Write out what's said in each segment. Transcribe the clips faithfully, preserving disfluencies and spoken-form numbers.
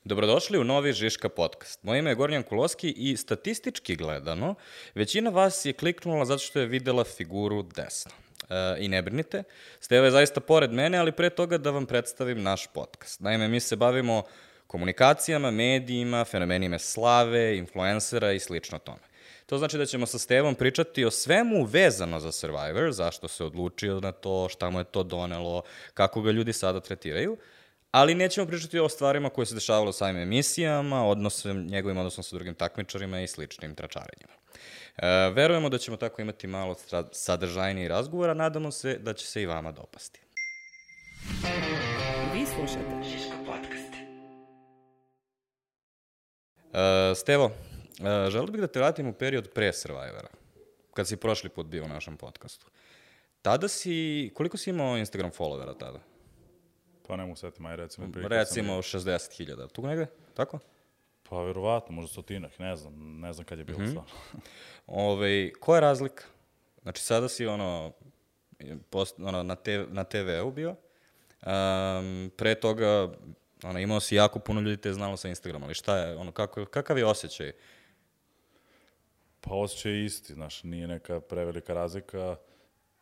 Dobrodošli u novi Žiška podcast. Moje ime je Gornjan Kuloski i statistički gledano, većina vas je kliknula zato što je videla figuru desno. E, I ne brinite, Steva je zaista pored mene, ali pre toga da vam predstavim naš podcast. Naime, mi se bavimo komunikacijama, medijima, fenomenima slave, influencera i slično tome. To znači da ćemo sa Stevom pričati o svemu vezano za Survivor, zašto se odlučio na to, šta mu je to donelo, kako ga ljudi sada tretiraju, ali nećemo pričati o stvarima koje se dešavalo u samim emisijama, odnosom, njegovim odnosom sa drugim takmičarima i sličnim tračarenjima. E, verujemo da ćemo tako imati malo sadržajniji razgovora, nadamo se da će se i vama dopasti. Vi slušate Žiško podcast. E, Stevo, e, želeo bih da te vratim u period pre Survivora, kad si prošli put bio u našem podcastu. Tada si, koliko si imao Instagram followera tada? Pa ne mogu setim, aj recimo... Recimo šezdeset hiljada, tu negde, tako? Pa verovatno, možda stotinak, ne znam, ne znam kad je bilo mm-hmm. stvarno. Ove, koja je razlika? Znači sada si ono, post, ono na, te, na te ve u bio, um, pre toga ono, imao si jako puno ljudi te znalo sa Instagrama, ali šta je, ono, kako, kakav je osjećaj? Pa osjećaj je isti, znaš, nije neka prevelika razlika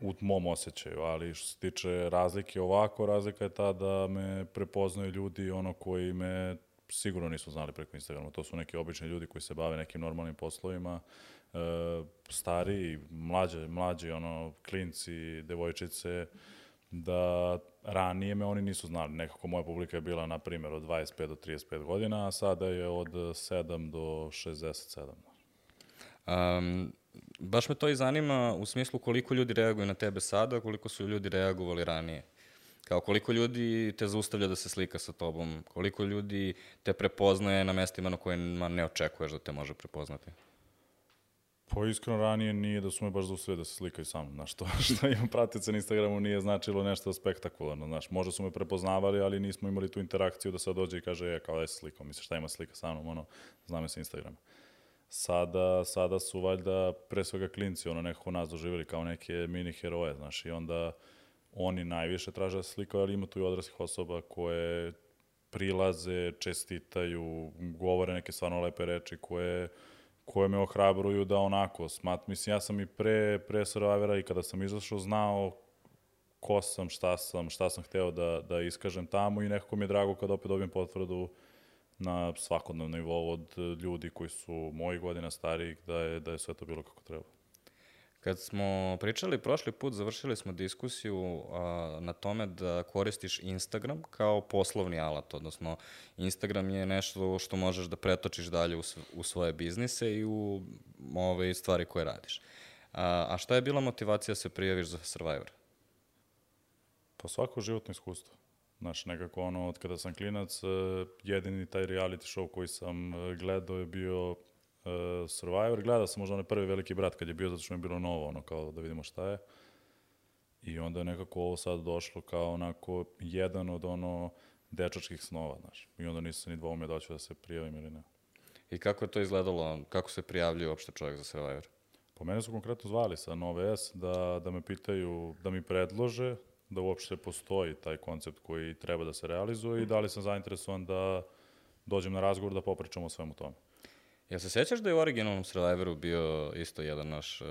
u mom osjećaju, ali što se tiče razlike ovako, razlika je ta da me prepoznaju ljudi ono koji me sigurno nisu znali preko Instagrama. To su neki obični ljudi koji se bave nekim normalnim poslovima, e, stariji, mlađe, mlađi, ono, klinci, devojčice, da ranije me oni nisu znali. Nekako moja publika je bila, na primjer, od dvadeset pet do trideset pet godina, a sada je od sedam do šezdeset sedam. Um, baš me to i zanima u smislu koliko ljudi reaguju na tebe sada, koliko su ljudi reagovali ranije. Kao koliko ljudi te zaustavlja da se slika sa tobom, koliko ljudi te prepoznaje na mestima na kojima ne očekuješ da te može prepoznati. Pa iskreno ranije nije da su me baš zaustavili da se slikaju sa mnom. Znaš, to što imam pratice na Instagramu nije značilo nešto spektakularno. Znaš, možda su me prepoznavali, ali nismo imali tu interakciju da sad dođe i kaže, je, kao da je slikao, misliš šta ima slika sa mnom, ono, znam je sa Instagrama. Sada, sada su valjda pre svega klinci, ono, nekako nas doživjeli kao neke mini heroje, znaš, i onda oni najviše traže da se slikaju, ali ima tu i odraslih osoba koje prilaze, čestitaju, govore neke stvarno lepe reči koje, koje me ohrabruju da onako, smat, mislim, ja sam i pre, pre Survivora i kada sam izašao znao ko sam, šta sam, šta sam hteo da, da iskažem tamo i nekako mi je drago kada opet dobijem potvrdu na svakodnevnom nivou od ljudi koji su mojih godina starijih, da je, da je sve to bilo kako treba. Kad smo pričali prošli put, završili smo diskusiju a, na tome da koristiš Instagram kao poslovni alat, odnosno Instagram je nešto što možeš da pretočiš dalje u, u svoje biznise i u ove stvari koje radiš. A, a šta je bila motivacija da se prijaviš za Survivor? Pa svako životno iskustvo. Znaš, nekako ono, od kada sam klinac, jedini taj reality show koji sam gledao je bio uh, Survivor. Gledao sam možda onaj prvi Veliki brat kad je bio, zato što mi je bilo novo, ono, kao da vidimo šta je. I onda je nekako ovo sad došlo kao onako jedan od ono dečačkih snova, znaš. I onda nisam ni dvoumio da ću da se prijavim ili ne. I kako je to izgledalo? Kako se prijavljuje uopšte čovjek za Survivor? Po mene su konkretno zvali sa Nove S da, da me pitaju, da mi predlože da uopšte postoji taj koncept koji treba da se realizuje i da li sam zainteresovan da dođem na razgovor da popričamo o svemu tome. Jel se sećaš da je u originalnom Survivoru bio isto jedan naš uh,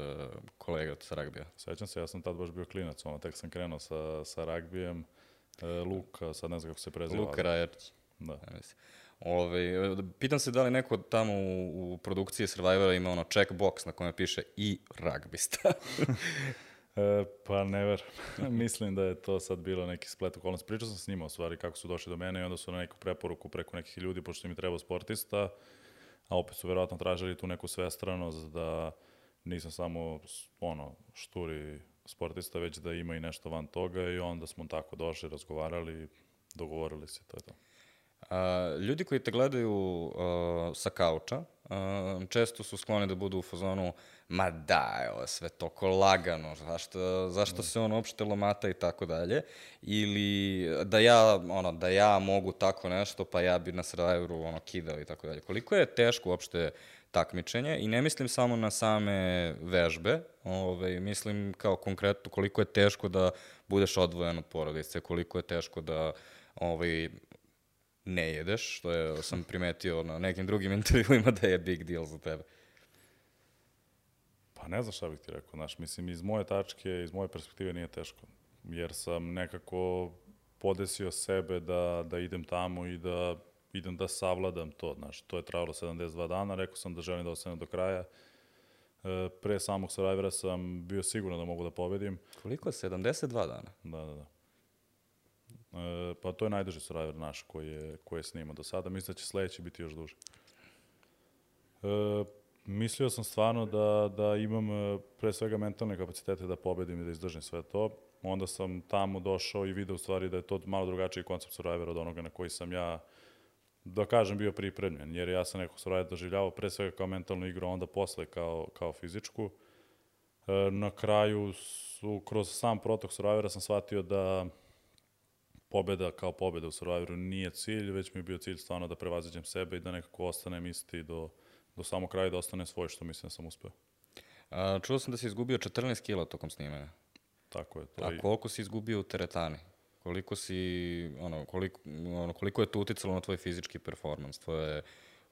kolega sa ragbija? Sećam se, ja sam tad baš bio klinac, ono, tek sam krenuo sa, sa ragbijem, e, Luka, sad ne znam kako se preziva. Luka Rajerć. Da. Ja Ove, pitam se da li neko tamo u, u produkciji Survivora ima ono checkbox na kojem piše i ragbista. E, pa ne ver. Mislim da je to sad bilo neki splet okolnosti. Pričao sam s njima o stvari kako su došli do mene i onda su na neku preporuku preko nekih ljudi, pošto im je trebao sportista, a opet su verovatno tražili tu neku svestranost da nisam samo ono šturi sportista, već da ima i nešto van toga i onda smo tako došli, razgovarali, dogovorili se, to je to. A, ljudi koji te gledaju uh, sa kauča, uh, često su skloni da budu u fazonu ma da, ovo je sve toliko lagano, zašto, zašto se on uopšte lomata i tako dalje, ili da ja, ono, da ja mogu tako nešto, pa ja bi na Survivoru ono, kidao i tako dalje. Koliko je teško uopšte takmičenje i ne mislim samo na same vežbe, ovaj, mislim kao konkretno koliko je teško da budeš odvojen od porodice, koliko je teško da ovaj, ne jedeš, što je, sam primetio na nekim drugim intervjuima da je big deal za tebe. Pa ne znam šta bih ti rekao, znaš, mislim, iz moje tačke, iz moje perspektive nije teško, jer sam nekako podesio sebe da, da idem tamo i da idem da savladam to, znaš, to je trajalo sedamdeset dva dana, rekao sam da želim da ostanem do kraja. E, pre samog Survivora sam bio siguran da mogu da pobedim. Koliko je? sedamdeset dva dana? Da, da, da. E, pa to je najduži Survivor naš koji je, koji je snimao do sada. Mislim da će sledeći biti još duži. E, mislio sam stvarno da, da imam e, pre svega mentalne kapacitete da pobedim i da izdržim sve to. Onda sam tamo došao i video u stvari da je to malo drugačiji koncept Survivora od onoga na koji sam ja, da kažem, bio pripremljen. Jer ja sam nekog Survivora doživljavao pre svega kao mentalnu igru, a onda posle kao, kao fizičku. E, na kraju su, kroz sam protok Survivora sam shvatio da pobeda kao pobeda u Survivoru nije cilj, već mi je bio cilj stvarno da prevaziđem sebe i da nekako ostanem isti do, do samog kraja i da ostane svoj, što mislim da sam uspeo. A, čuo sam da si izgubio četrnaest kila tokom snimanja. Tako je to. A koliko si izgubio u teretani? Koliko si, ono, koliko, ono, koliko je to uticalo na tvoj fizički performans, tvoje,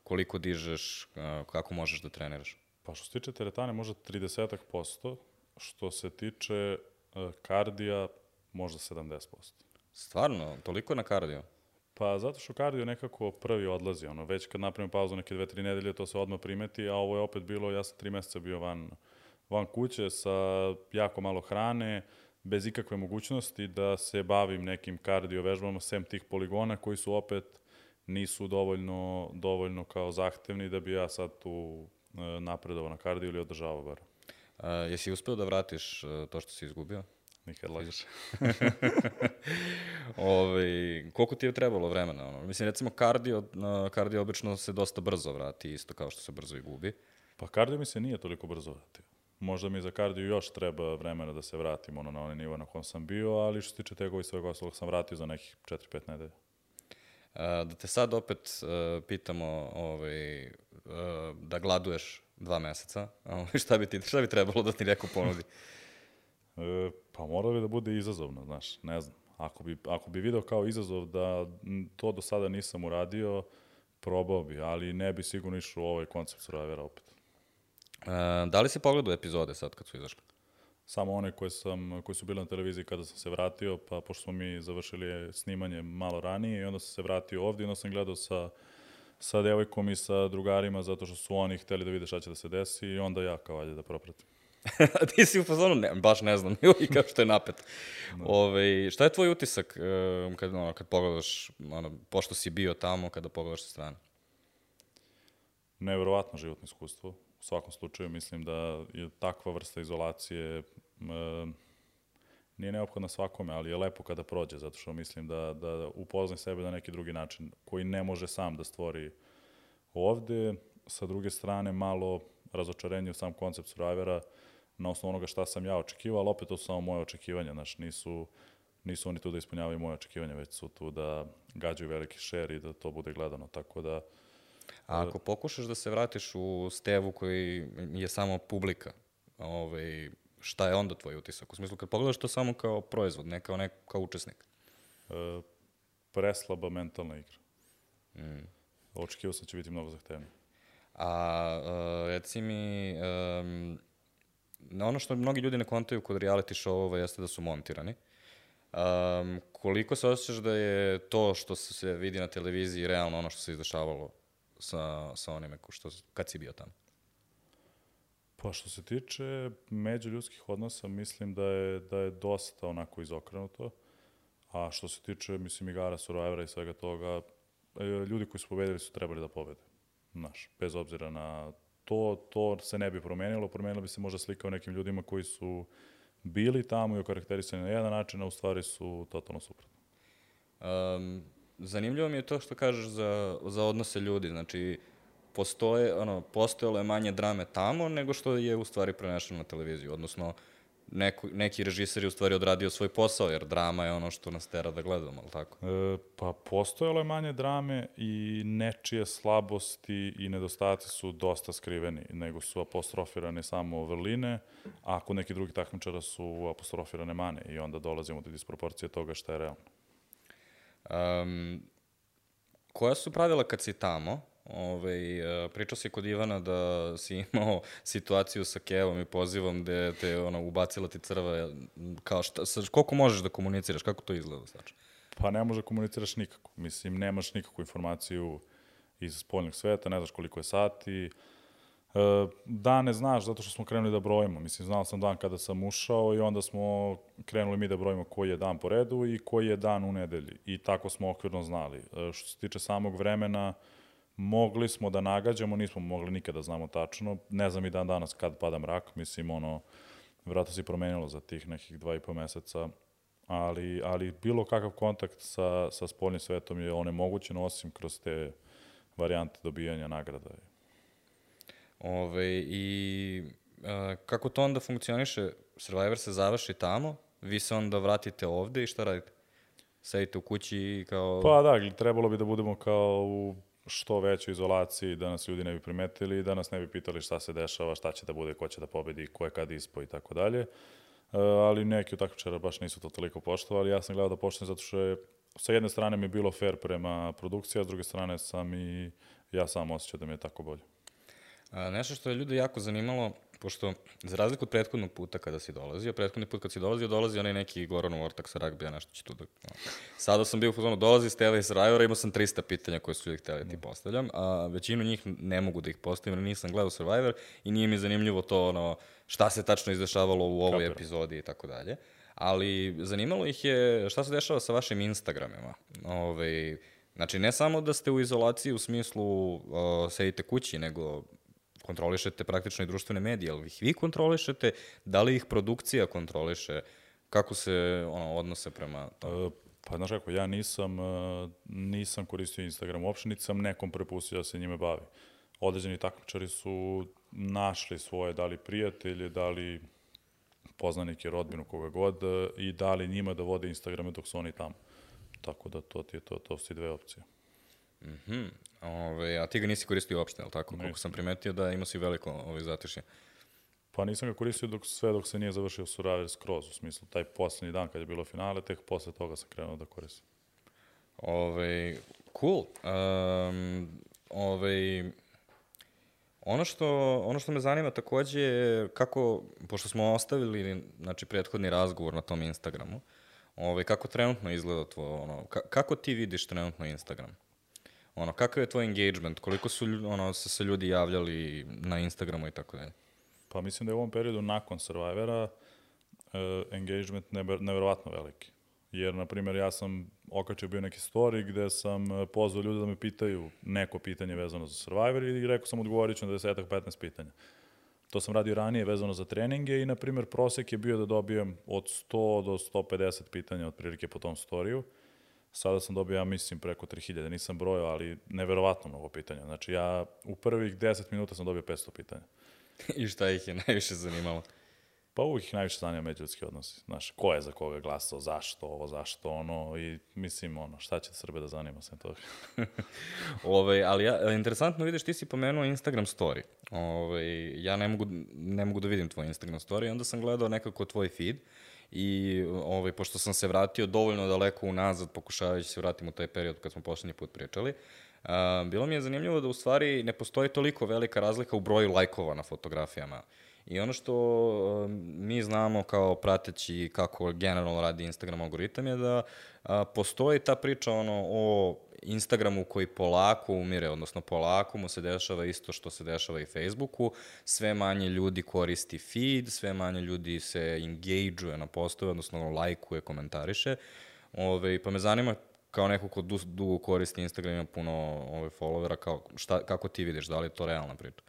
koliko dižeš, kako možeš da treniraš? Pa što se tiče teretane možda trideset posto, što se tiče uh, kardija možda sedamdeset posto. Stvarno? Toliko na kardio? Pa zato što kardio nekako prvi odlazi, ono, već kad napravim pauzu neke dve, tri nedelje, to se odmah primeti, a ovo je opet bilo, ja sam tri meseca bio van, van kuće sa jako malo hrane, bez ikakve mogućnosti da se bavim nekim kardio vežbama, sem tih poligona koji su opet nisu dovoljno, dovoljno kao zahtevni da bi ja sad tu e, napredovao na kardio ili održavao bar. A, jesi uspeo da vratiš uh, to što si izgubio? Nikad lakše. Ove, koliko ti je trebalo vremena? Ono? Mislim, recimo, kardio, uh, kardio obično se dosta brzo vrati, isto kao što se brzo i gubi. Pa kardio mi se nije toliko brzo vratio. Možda mi za kardio još treba vremena da se vratim ono, na onaj nivo na kom sam bio, ali što se tiče tegova i svega ostalog sam vratio za nekih četiri pet nedelja. Uh, da te sad opet uh, pitamo ovaj, uh, da gladuješ dva meseca, uh, šta, bi ti, šta bi trebalo da ti neko ponudi? E, pa mora bi da bude izazovno, znaš, ne znam. Ako bi, ako bi video kao izazov da to do sada nisam uradio, probao bi, ali ne bi sigurno išao u ovaj koncept Survivora opet. Uh, da li si pogledao epizode sad kad su izašle? Samo one koje, sam, koje su bile na televiziji kada sam se vratio, pa pošto smo mi završili snimanje malo ranije i onda sam se vratio ovdje i onda sam gledao sa, sa devojkom i sa drugarima zato što su oni hteli da vide šta će da se desi i onda ja kao ajde da propratim. A ti si u fazonu, ne, baš ne znam, i kao što je napet. No. Ove, šta je tvoj utisak uh, kad, ono, kad pogledaš, ono, pošto si bio tamo, kada pogledaš sa strane? Neverovatno životno iskustvo. U svakom slučaju mislim da je takva vrsta izolacije e, nije neophodna svakome, ali je lepo kada prođe, zato što mislim da, da upoznaj sebe na neki drugi način koji ne može sam da stvori ovde. Sa druge strane, malo razočarenje u sam koncept Survivora na osnovu onoga šta sam ja očekivao, ali opet to su samo moje očekivanja, znaš, nisu, nisu oni tu da ispunjavaju moje očekivanja, već su tu da gađaju veliki šer i da to bude gledano, tako da... A ako pokušaš da se vratiš u Stevu koji je samo publika, ovaj, šta je onda tvoj utisak? U smislu, kad pogledaš to samo kao proizvod, ne kao, ne kao učesnik? E, preslaba mentalna igra. Mm. Očekivao sam će biti mnogo zahtevnije. A uh, reci mi, um, ono što mnogi ljudi ne kontaju kod reality show-ova jeste da su montirani. Um, koliko se osjećaš da je to što se vidi na televiziji realno ono što se izdešavalo sa, sa onime što, kad si bio tamo? Pa što se tiče međuljudskih odnosa, mislim da je, da je dosta onako izokrenuto. A što se tiče, mislim, igara Survivora i svega toga, ljudi koji su pobedili su trebali da pobede. Znaš, bez obzira na to, to se ne bi promenilo. Promenila bi se možda slika o nekim ljudima koji su bili tamo i okarakterisani na jedan način, a u stvari su totalno suprotno. Um, zanimljivo mi je to što kažeš za, za odnose ljudi. Znači, postoje, ono, postojalo je manje drame tamo nego što je u stvari prenešeno na televiziju. Odnosno, neko, neki režiser je u stvari odradio svoj posao, jer drama je ono što nas tera da gledamo, ali tako? E, pa postojalo je manje drame i nečije slabosti i nedostaci su dosta skriveni, nego su apostrofirane samo vrline, a kod nekih drugih takmičara su apostrofirane mane i onda dolazimo do disproporcije toga šta je realno. Um, koja su pravila kad si tamo? Ove, pričao si kod Ivana da si imao situaciju sa Kevom i pozivom gde te ono, ubacila ti crva, kao šta, sa, koliko možeš da komuniciraš, kako to izgleda? Znači? Pa ne može komuniciraš nikako. Mislim, nemaš nikakvu informaciju iz spoljnog sveta, ne znaš koliko je sati. E, dan ne znaš zato što smo krenuli da brojimo. Mislim, znao sam dan kada sam ušao i onda smo krenuli mi da brojimo koji je dan po redu i koji je dan u nedelji. I tako smo okvirno znali. E, što se tiče samog vremena, mogli smo da nagađamo, nismo mogli nikada znamo tačno. Ne znam i dan danas kad pada mrak. Mislim, ono, vjerojatno se promenilo za tih nekih dva i po meseca. Ali, ali bilo kakav kontakt sa, sa spoljnim svetom je onemogućen, osim kroz te varijante dobijanja nagrada. Ove, i a, kako to onda funkcioniše? Survivor se završi tamo, vi se onda vratite ovde i šta radite? Sedite u kući i kao... Pa da, trebalo bi da budemo kao u što većoj izolaciji, da nas ljudi ne bi primetili, da nas ne bi pitali šta se dešava, šta će da bude, ko će da pobedi, ko je kad ispo i tako dalje. Ali neki od takmičara baš nisu to toliko poštovali. Ja sam gledao da poštujem zato što je sa jedne strane mi je bilo fair prema produkciji, a s druge strane sam i ja sam osjećao da mi je tako bolje. A, nešto što je ljude jako zanimalo, pošto za razliku od prethodnog puta kada si dolazio, prethodni put kad si dolazio, dolazi onaj neki Goran Ortak sa ragbija, nešto će tu da... No. Sada sam bio u fazonu, dolazi Steva iz Survivora, imao sam trista pitanja koje su ljudi htjeli da ti postavljam, a većinu njih ne mogu da ih postavim, jer nisam gledao Survivor i nije mi zanimljivo to, ono, šta se tačno izdešavalo u ovoj Kapira. epizodi i tako dalje. Ali zanimalo ih je šta se dešava sa vašim Instagramima. Ove, znači, ne samo da ste u izolaciji u smislu uh, sedite kući, nego kontrolišete praktično i društvene medije, ali ih vi kontrolišete, da li ih produkcija kontroliše, kako se ono, odnose prema tomu? E, pa znaš kako, ja nisam, nisam koristio Instagram uopšte, niti sam nekom prepustio da se njime bavi. Određeni takmičari su našli svoje, da li prijatelje, da li poznanike, rodbinu, koga god, i dali njima da vode Instagrame dok su oni tamo. Tako da to ti je to, to su ti dve opcije. Mhm. Ove, a ti ga nisi koristio uopšte, ali tako? Koliko sam primetio da imao si veliko ovaj, zatišje. Pa nisam ga koristio dok, sve dok se nije završio Survivor skroz, u smislu taj poslednji dan kad je bilo finale, tek posle toga sam krenuo da koristim. Ove, cool. Um, ove, ono, što, ono što me zanima takođe je kako, pošto smo ostavili znači, prethodni razgovor na tom Instagramu, ove, kako trenutno izgleda tvoj, ono, ka, kako ti vidiš trenutno Instagram? Ono, kakav je tvoj engagement? Koliko su ono, se, se ljudi javljali na Instagramu i tako dalje? Pa mislim da je u ovom periodu nakon Survivora uh, engagement never, neverovatno veliki. Jer, na primjer, ja sam okačio bio neki story gde sam pozvao ljude da me pitaju neko pitanje vezano za Survivor i rekao sam odgovorit ću na deset do petnaest pitanja. To sam radio ranije vezano za treninge i, na primjer, prosek je bio da dobijem od sto do sto pedeset pitanja otprilike po tom storiju. Sada sam dobio, ja mislim, preko tri hiljade, nisam brojao, ali neverovatno mnogo pitanja. Znači, ja u prvih deset minuta sam dobio petsto pitanja. I šta ih je najviše zanimalo? Pa uvijek ih najviše zanima međuljudski odnosi. Znaš, ko je za koga glasao, zašto ovo, zašto ono, i mislim, ono, šta će Srbe da zanima sem toga. Ove, ali ja, interesantno vidiš, ti si pomenuo Instagram story. Ove, ja ne mogu, ne mogu da vidim tvoj Instagram story, onda sam gledao nekako tvoj feed i ovaj, pošto sam se vratio dovoljno daleko unazad, pokušavajući se vratim u taj period kad smo poslednji put pričali, uh, bilo mi je zanimljivo da u stvari ne postoji toliko velika razlika u broju lajkova na fotografijama. I ono što uh, mi znamo kao prateći kako generalno radi Instagram algoritam je da uh, postoji ta priča ono, o Instagramu koji polako umire, odnosno polako mu se dešava isto što se dešava i Facebooku, sve manje ljudi koristi feed, sve manje ljudi se engage-uje na postove, odnosno lajkuje, komentariše. Ove, pa me zanima kao neko ko du, dugo koristi Instagram, ima puno ove, followera, kao, šta, kako ti vidiš, da li je to realna priča?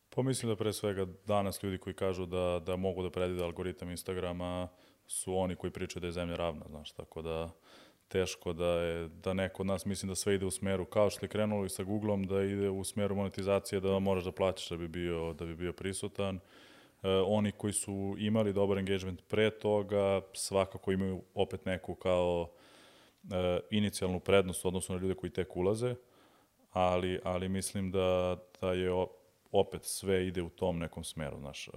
Pa mislim da pre svega danas ljudi koji kažu da, da mogu da predvide algoritam Instagrama su oni koji pričaju da je zemlja ravna, znaš, tako da teško da je, da neko od nas mislim da sve ide u smeru, kao što je krenulo i sa Googlom, da ide u smeru monetizacije, da moraš da plaćaš da bi bio, da bi bio prisutan. E, oni koji su imali dobar engagement pre toga, svakako imaju opet neku kao e, inicijalnu prednost u odnosu na ljude koji tek ulaze, ali, ali mislim da, da je opet sve ide u tom nekom smeru, znaš. E,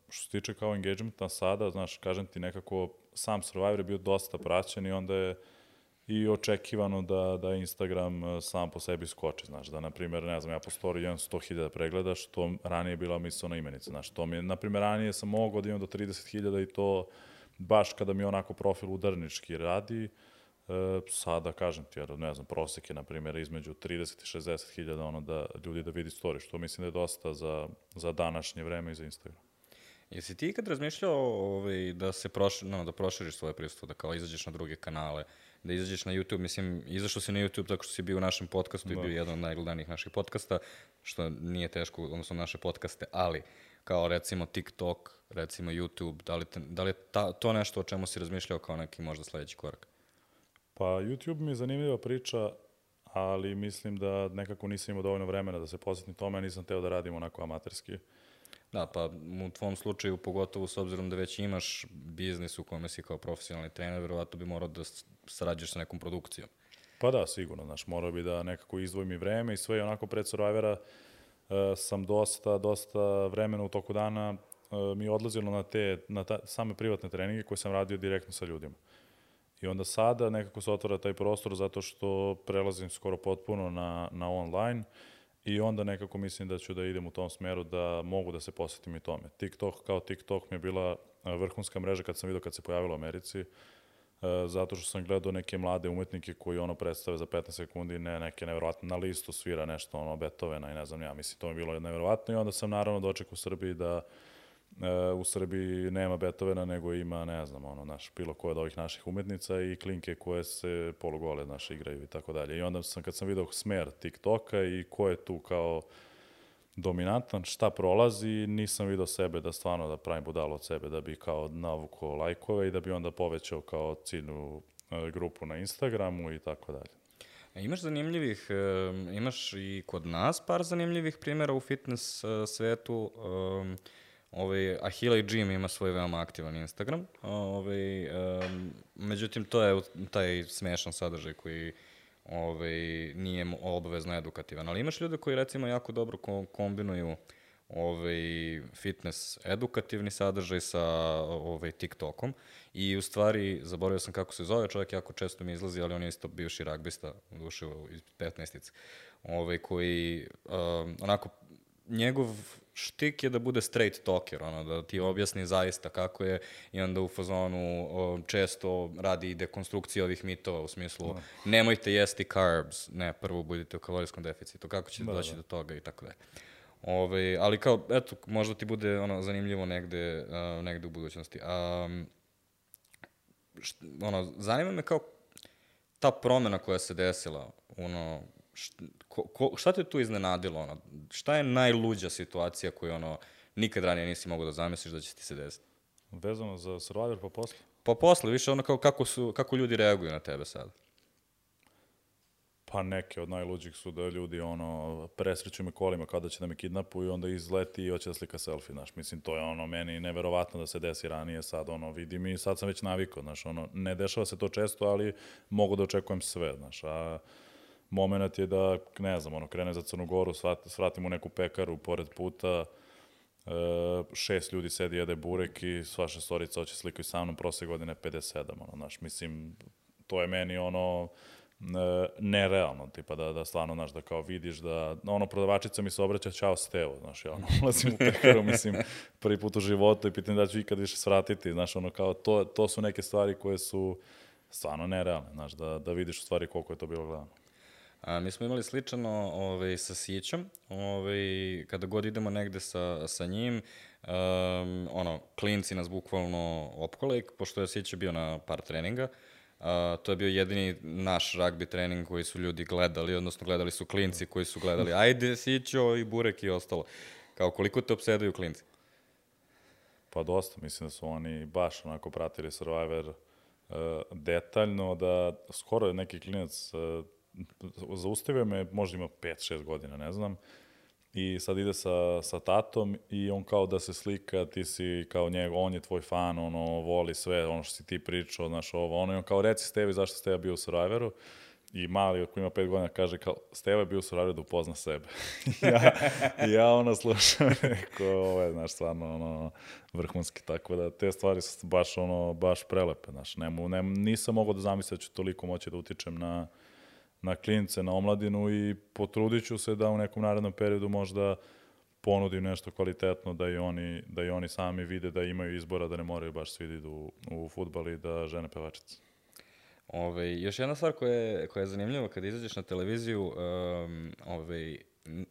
što se tiče kao engagementa sada, znaš, kažem ti nekako, sam Survivor je bio dosta praćen i onda je i očekivano da, da Instagram uh, sam po sebi skoči, znaš, da, na primjer, ne znam, ja po storiju imam sto hiljada pregleda, što ranije je bila mislona imenica, znaš, to mi je, na primjer, ranije sam mogao da imam do trideset hiljada i to baš kada mi onako profil udarnički radi, uh, sada, kažem ti, jer, ne znam, prosek je, na primjer, između trideset i šezdeset hiljada, ono, da ljudi da vidi story, što mislim da je dosta za, za današnje vreme i za Instagram. Jesi ti ikad razmišljao ovaj, da se proš, no, da proširiš svoje prisustvo, da kao izađeš na druge kanale, da izađeš na YouTube, mislim, izašao si na YouTube tako što si bio u našem podcastu da. i bio jedan od najgledanijih naših podcasta, što nije teško, odnosno naše podcaste, ali kao recimo TikTok, recimo YouTube, da li, te, da li je ta, to nešto o čemu si razmišljao kao neki možda sledeći korak? Pa YouTube mi je zanimljiva priča, ali mislim da nekako nisam imao dovoljno vremena da se posvetim tome, a nisam teo da radim onako amaterski. Da, pa u tvom slučaju, pogotovo s obzirom da već imaš biznis u kome si kao profesionalni trener, verovatno bi morao da sarađuješ sa nekom produkcijom. Pa da, sigurno, znaš, morao bi da nekako izdvojim i vreme i sve, i onako pred Survivora uh, sam dosta, dosta vremena u toku dana uh, mi je odlazilo na te, na ta, same privatne treninge koje sam radio direktno sa ljudima. I onda sada nekako se otvara taj prostor zato što prelazim skoro potpuno na, na online. I onda nekako mislim da ću da idem u tom smeru da mogu da se posvetim i tome. TikTok kao TikTok mi je bila vrhunska mreža kad sam vidio kad se pojavila u Americi, zato što sam gledao neke mlade umetnike koji ono predstave za petnaest sekundi, ne, neke nevjerovatne, na listu svira nešto, ono, Beethovena i ne znam ja, mislim, to mi je bilo nevjerovatno i onda sam naravno dočekao u Srbiji da u Srbiji nema Beethovena, nego ima, ne znam, ono, naš, bilo koje od ovih naših umetnica i klinke koje se polugole, naš, igraju i tako dalje. I onda sam, kad sam vidio smer TikToka i ko je tu kao dominantan, šta prolazi, nisam vidio sebe da stvarno da pravim budalo od sebe, da bi kao navukao lajkove i da bi onda povećao kao ciljnu grupu na Instagramu i tako dalje. Imaš zanimljivih, imaš i kod nas par zanimljivih primjera u fitness svetu. Ovaj, Ahila i Jim ima svoj veoma aktivan Instagram, ovaj, um, međutim to je taj smešan sadržaj koji ovaj, nije obavezno edukativan, ali imaš ljude koji recimo jako dobro kombinuju ovaj, fitness edukativni sadržaj sa ovaj, TikTokom i u stvari, zaboravio sam kako se zove, čovjek jako često mi izlazi, ali on je isto bivši ragbista, u duši iz petnaestice, ovaj, koji um, onako, njegov štik je da bude straight talker, ono, da ti objasni zaista kako je i onda u fazonu o, često radi i dekonstrukciju ovih mitova u smislu no. nemojte jesti carbs, ne, prvo budite u kalorijskom deficitu, kako ćete da, doći da. do toga i tako dalje. Ove, ali kao, eto, možda ti bude ono, zanimljivo negde, uh, negde u budućnosti. Um, št, ono, zanima me kao ta promena koja se desila, ono, Šta, ko, ko, šta te tu iznenadilo? Ono? Šta je najluđa situacija koju ono, nikad ranije nisi mogao da zamisliš da će ti se desiti? Vezano za Survivor pa posle? Pa posle, više ono kao kako, su, kako ljudi reaguju na tebe sada. Pa neke od najluđih su da ljudi ono, presreću me kolima kada će da me kidnapuju i onda izleti i hoće da slika selfie, znaš. Mislim, to je ono meni neverovatno da se desi ranije, sad ono vidim i sad sam već navikao, znaš, ono, ne dešava se to često, ali mogu da očekujem sve, znaš, a moment je da, ne znam, ono, krene za Crnu Goru, svratim u neku pekaru pored puta, e, šest ljudi sedi, jede burek i sva šestorica hoće slikaju sa mnom, prošle godine pedeset sedam, ono, znaš, mislim, to je meni, ono, e, nerealno, tipa, da, da stvarno, znaš, da kao vidiš da, ono, prodavačica mi se obraća, čao Stevo, znaš, ja, ono, ulazim u pekaru, mislim, prvi put u životu i pitam da ću ikad više svratiti, znaš, ono, kao, to, to su neke stvari koje su stvarno nerealne, znaš, da, da vidiš u stvari koliko je to bilo gledano. A, mi smo imali sličano ovaj, sa Sićom, ovaj, kada god idemo negde sa, sa njim, um, ono, klinci nas bukvalno opkole, pošto je Sića bio na par treninga, uh, to je bio jedini naš ragbi trening koji su ljudi gledali, odnosno gledali su klinci koji su gledali, ajde Sićo i burek i ostalo. Kao koliko te opsedaju klinci? Pa dosta, mislim da su oni baš onako pratili Survivor uh, detaljno, da skoro je neki klinac uh, zaustavio me, možda ima pet šest godina, ne znam, i sad ide sa, sa tatom i on kao da se slika, ti si kao njegov, on je tvoj fan, ono, voli sve, ono što si ti pričao, znaš, ovo, ono, i on kao, reci Stevi zašto ste ja bio u Survivoru, i mali, ako ima pet godina, kaže kao, Steva je bio u Survivoru da upozna sebe. ja, ja ono slušam, rekao, ovo je, znaš, stvarno, ono, vrhunski, tako da te stvari su baš, ono, baš prelepe, znaš, nemu, nem, nisam mogao da zamislim da ću toliko moći da utičem na, na klince, na omladinu i potrudit ću se da u nekom narednom periodu možda ponudim nešto kvalitetno, da i oni, da i oni sami vide da imaju izbora, da ne moraju baš svi da idu u, u fudbal i da žene pevačice. Ove, još jedna stvar koja je, koja je zanimljiva kada izađeš na televiziju, um, ove,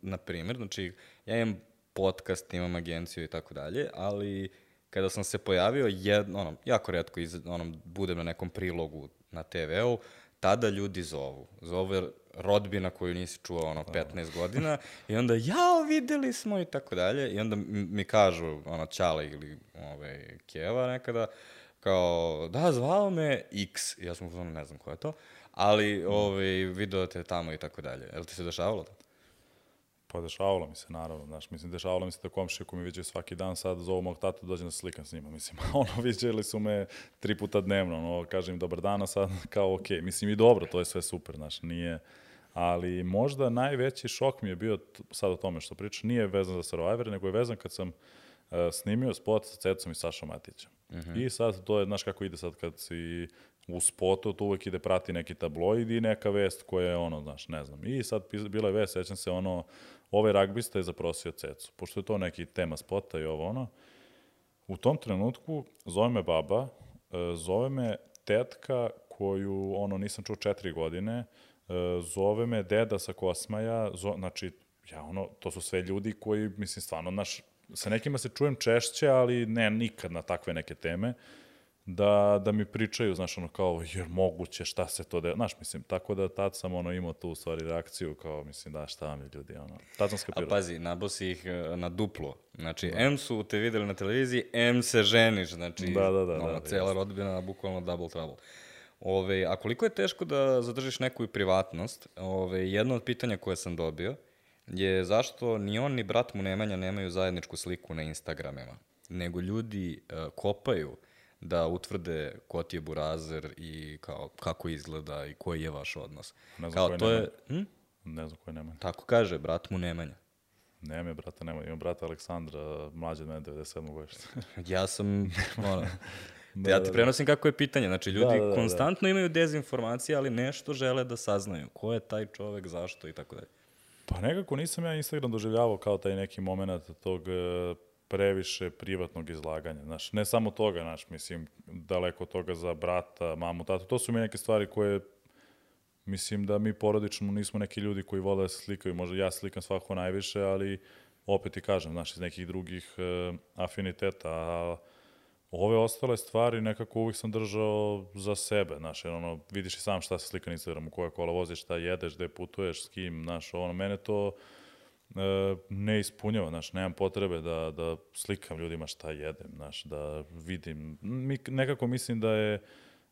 na primjer, znači ja imam podcast, imam agenciju i tako dalje, ali kada sam se pojavio, jedno, ono, jako retko iz, ono, budem na nekom prilogu na te veu, tada ljudi zovu. Zove rodbina koju nisi čuo ono petnaest godina i onda jao videli smo i tako dalje i onda mi kažu ono Ćale ili ove, Keva nekada kao da zvao me X, ja sam ono ne znam ko je to, ali ove, video te tamo i tako dalje. Je li ti se dešavalo to? Pa dešavalo mi se, naravno, znaš, mislim, dešavalo mi se da komšije koji mi viđaju svaki dan sad zovu mog tatu, dođem da se slikam s njima, mislim, ono, viđali su me tri puta dnevno, ono, kažem dobar dan, a sad kao okej, okay. Mislim i dobro, to je sve super, znaš, nije, ali možda najveći šok mi je bio sad o tome što pričam, nije vezan za Survivor, nego je vezan kad sam uh, snimio spot sa Cecom i Sašom Matićem. Uh-huh. I sad to je, znaš kako ide sad kad si u spotu, to uvek ide prati neki tabloid i neka vest koja je ono, znaš, ne znam. I sad bila je vest, sećam se ono, ovaj ragbista je zaprosio Cecu, pošto je to neki tema spota i ovo ono. U tom trenutku zove me baba, zove me tetka koju, ono, nisam čuo četiri godine, zove me deda sa Kosmaja, zo, znači, ja ono, to su sve ljudi koji, mislim, stvarno, naš, sa nekima se čujem češće, ali ne nikad na takve neke teme, da, da mi pričaju, znaš, ono, kao, jer moguće, šta se to de... Znaš, mislim, tako da tad sam, ono, imao tu, u stvari, reakciju, kao, mislim, da, šta vam je ljudi, ono, tad sam skapirao. A pazi, nabo si ih na duplo, znači, da. M su te videli na televiziji, M se ženiš, znači, da, da, da, ono, da, cela jest. rodbina, bukvalno double trouble. Ove, a koliko je teško da zadržiš neku privatnost, ove, jedno od pitanja koje sam dobio je zašto ni on ni brat mu Nemanja nemaju zajedničku sliku na Instagramima, nego ljudi uh, kopaju da utvrde ko ti je burazer i kao, kako izgleda i koji je vaš odnos. Ne znam kao, koji to Nemanja. je, hm? Ne znam koji Nemanja. Tako kaže, brat mu Nemanja. Nema je brata Nemanja, imam brata Aleksandra, mlađe od mene, devedeset sedmog godište. Ja sam, ono, da, ja ti da, prenosim kako je pitanje. Znači, ljudi da, da, konstantno da. imaju dezinformacije, ali nešto žele da saznaju. Ko je taj čovek, zašto i tako dalje. Pa nekako nisam ja Instagram doživljavao kao taj neki moment tog previše privatnog izlaganja. Znaš, ne samo toga, znaš, mislim, daleko toga za brata, mamu, tatu. To su mi neke stvari koje, mislim da mi porodično nismo neki ljudi koji vole da se slikaju. Možda ja slikam svako najviše, ali opet i kažem, znaš, iz nekih drugih uh, afiniteta. A ove ostale stvari nekako uvijek sam držao za sebe, znaš, jer ono, vidiš i sam šta se slika na Instagramu, koje kola voziš, šta jedeš, gde putuješ, s kim, znaš, ono, mene to e, ne ispunjava, znaš, nemam potrebe da, da slikam ljudima šta jedem, znaš, da vidim, Mi, nekako mislim da je,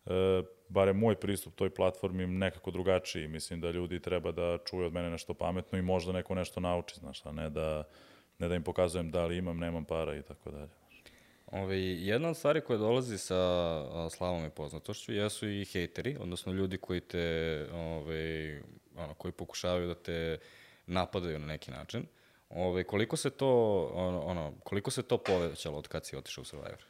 e, bare moj pristup toj platformi nekako drugačiji, mislim da ljudi treba da čuju od mene nešto pametno i možda neko nešto nauči, znaš, a ne da, ne da im pokazujem da li imam, nemam para i tako dalje. Ove, jedna od stvari koja dolazi sa a, slavom i poznatošću jesu i hejteri, odnosno ljudi koji te, ove, ono, koji pokušavaju da te napadaju na neki način. Ove, koliko se to, ono, ono, koliko se to povećalo od kad si otišao u Survivor?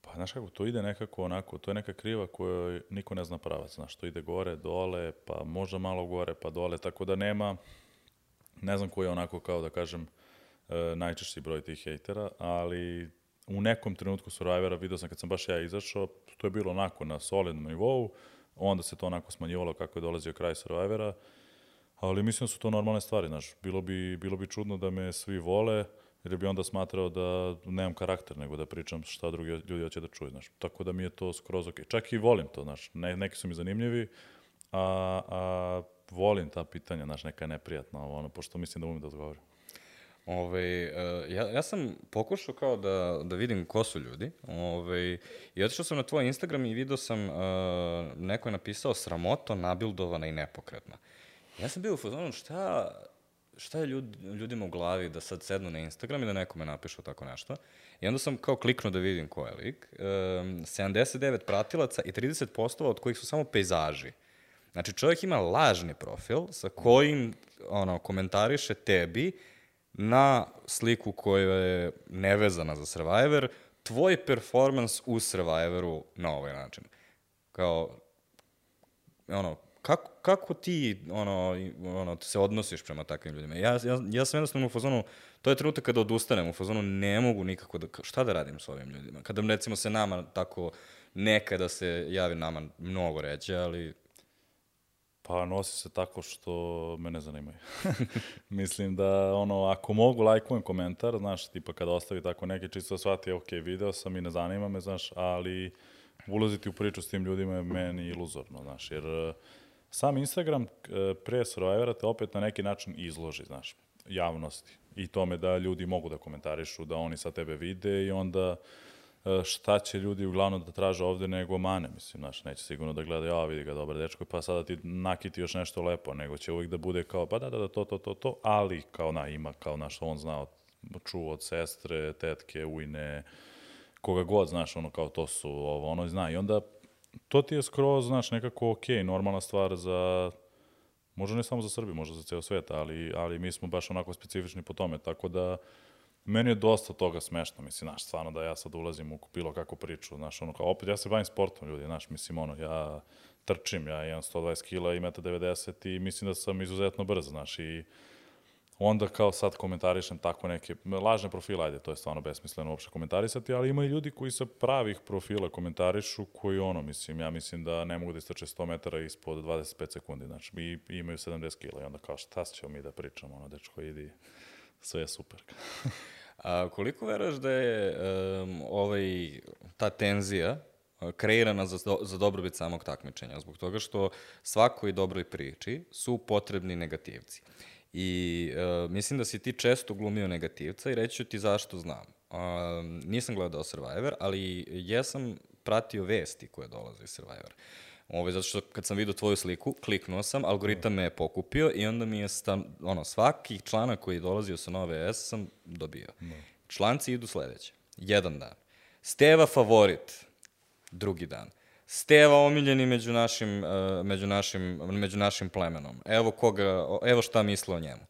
Pa, znaš kako, to ide nekako onako, to je neka kriva kojoj niko ne zna pravac, znaš, to ide gore, dole, pa možda malo gore, pa dole, tako da nema, ne znam koji je onako, kao da kažem, E, najčešći broj tih hejtera, ali u nekom trenutku Survivora vidio sam kad sam baš ja izašao, to je bilo onako na solidnom nivou, onda se to onako smanjivalo kako je dolazio kraj Survivora, ali mislim da su to normalne stvari, znaš, bilo bi, bilo bi čudno da me svi vole, jer bi onda smatrao da nemam karakter, nego da pričam šta drugi ljudi hoće da čuju, znaš, tako da mi je to skroz ok. Čak i volim to, znaš, ne, neki su mi zanimljivi, a, a volim ta pitanja, znaš, neka je neprijatna, ono, pošto mislim da umim da odgovorim. Ove, uh, ja, ja sam pokušao kao da, da vidim ko su ljudi. Ove, i otišao sam na tvoj Instagram i vidio sam, uh, neko je napisao sramoto, nabildovana i nepokretna. Ja sam bio u fazonu, šta, šta je ljud, ljudima u glavi da sad sednu na Instagram i da nekome napišu tako nešto. I onda sam kao kliknuo da vidim ko je lik. Um, sedamdeset devet pratilaca i trideset postova od kojih su samo pejzaži. Znači, čovjek ima lažni profil sa kojim ono, komentariše tebi na sliku koja je nevezana za Survivor, tvoj performans u Survivoru na ovaj način. Kao, ono, kako, kako ti ono, ono, se odnosiš prema takvim ljudima? Ja, ja, ja sam jednostavno u fazonu, to je trenutak kada odustanem, u fazonu ne mogu nikako da, šta da radim s ovim ljudima? Kada recimo se nama tako, nekada se javi nama mnogo reće, ali... Pa nosi se tako što me ne zanimaju. Mislim da, ono, ako mogu, lajkujem komentar, znaš, tipa kada ostavi tako neki čisto shvati, ok, video sam i ne zanima me, znaš, ali ulaziti u priču s tim ljudima je meni iluzorno, znaš, jer sam Instagram pre Survivora te opet na neki način izloži, znaš, javnosti i tome da ljudi mogu da komentarišu, da oni sa tebe vide i onda šta će ljudi uglavnom da traže ovde nego mane, mislim, znaš, neće sigurno da gleda, ja vidi ga, dobar dečko, pa sada ti nakiti još nešto lepo, nego će uvijek da bude kao, pa da, da, da, to, to, to, to, ali kao na, ima, kao naš, on zna, čuo od sestre, tetke, ujne, koga god, znaš, ono, kao to su, ovo, ono, zna, i onda to ti je skroz, znaš, nekako okej, okay, normalna stvar za, možda ne samo za Srbiju, možda za ceo svet, ali, ali mi smo baš onako specifični po tome, tako da meni je dosta toga smešno, mislim, znaš, stvarno da ja sad ulazim u bilo kakvu priču, znaš, ono, kao, opet, ja se bavim sportom, ljudi, znaš, mislim, ono, ja trčim, ja imam sto dvadeset kila i jedan devedeset i mislim da sam izuzetno brz, znaš, i onda kao sad komentarišem tako neke lažne profile, ajde, to je stvarno besmisleno uopšte komentarisati, ali ima i ljudi koji sa pravih profila komentarišu, koji, ono, mislim, ja mislim da ne mogu da istrče sto metara ispod dvadeset pet sekundi, znači, i imaju sedamdeset kila i onda kao, šta ćemo mi da pričamo, ono, dečko, idi, sve je super. A koliko veruješ da je um, ovaj, ta tenzija kreirana za, do, za dobrobit samog takmičenja? Zbog toga što svakoj dobroj priči su potrebni negativci. I uh, mislim da si ti često glumio negativca i reći ću ti zašto znam. Uh, nisam gledao Survivor, ali jesam pratio vesti koje dolaze iz Survivor. Ovo, zato što kad sam vidio tvoju sliku, kliknuo sam, algoritam me je pokupio i onda mi je stan, ono, svaki članak koji je dolazio sa Nove S sam dobio. No. Članci idu sledeće. Jedan dan. Steva favorit. Drugi dan. Steva omiljeni među našim, uh, među našim, među našim plemenom. Evo, koga, evo šta misle o njemu.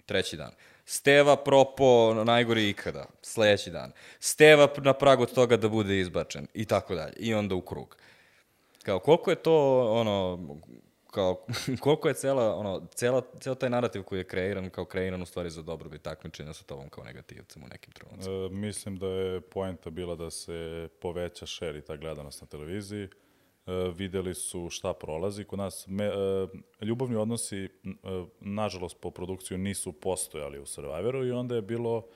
Treći dan. Steva propo najgori ikada. Sledeći dan. Steva na pragu od toga da bude izbačen. I tako dalje. I onda u krug. Kao, koliko je to, ono, kao, koliko je cela, ono, cela, cela taj narativ koji je kreiran, kao kreiran u stvari za dobrobit takmičenja sa tobom kao negativcem u nekim trenucima? E, mislim da je poenta bila da se poveća share i ta gledanost na televiziji. E, videli su šta prolazi. Kod nas me, e, ljubavni odnosi, e, nažalost, po produkciju nisu postojali u Survivoru i onda je bilo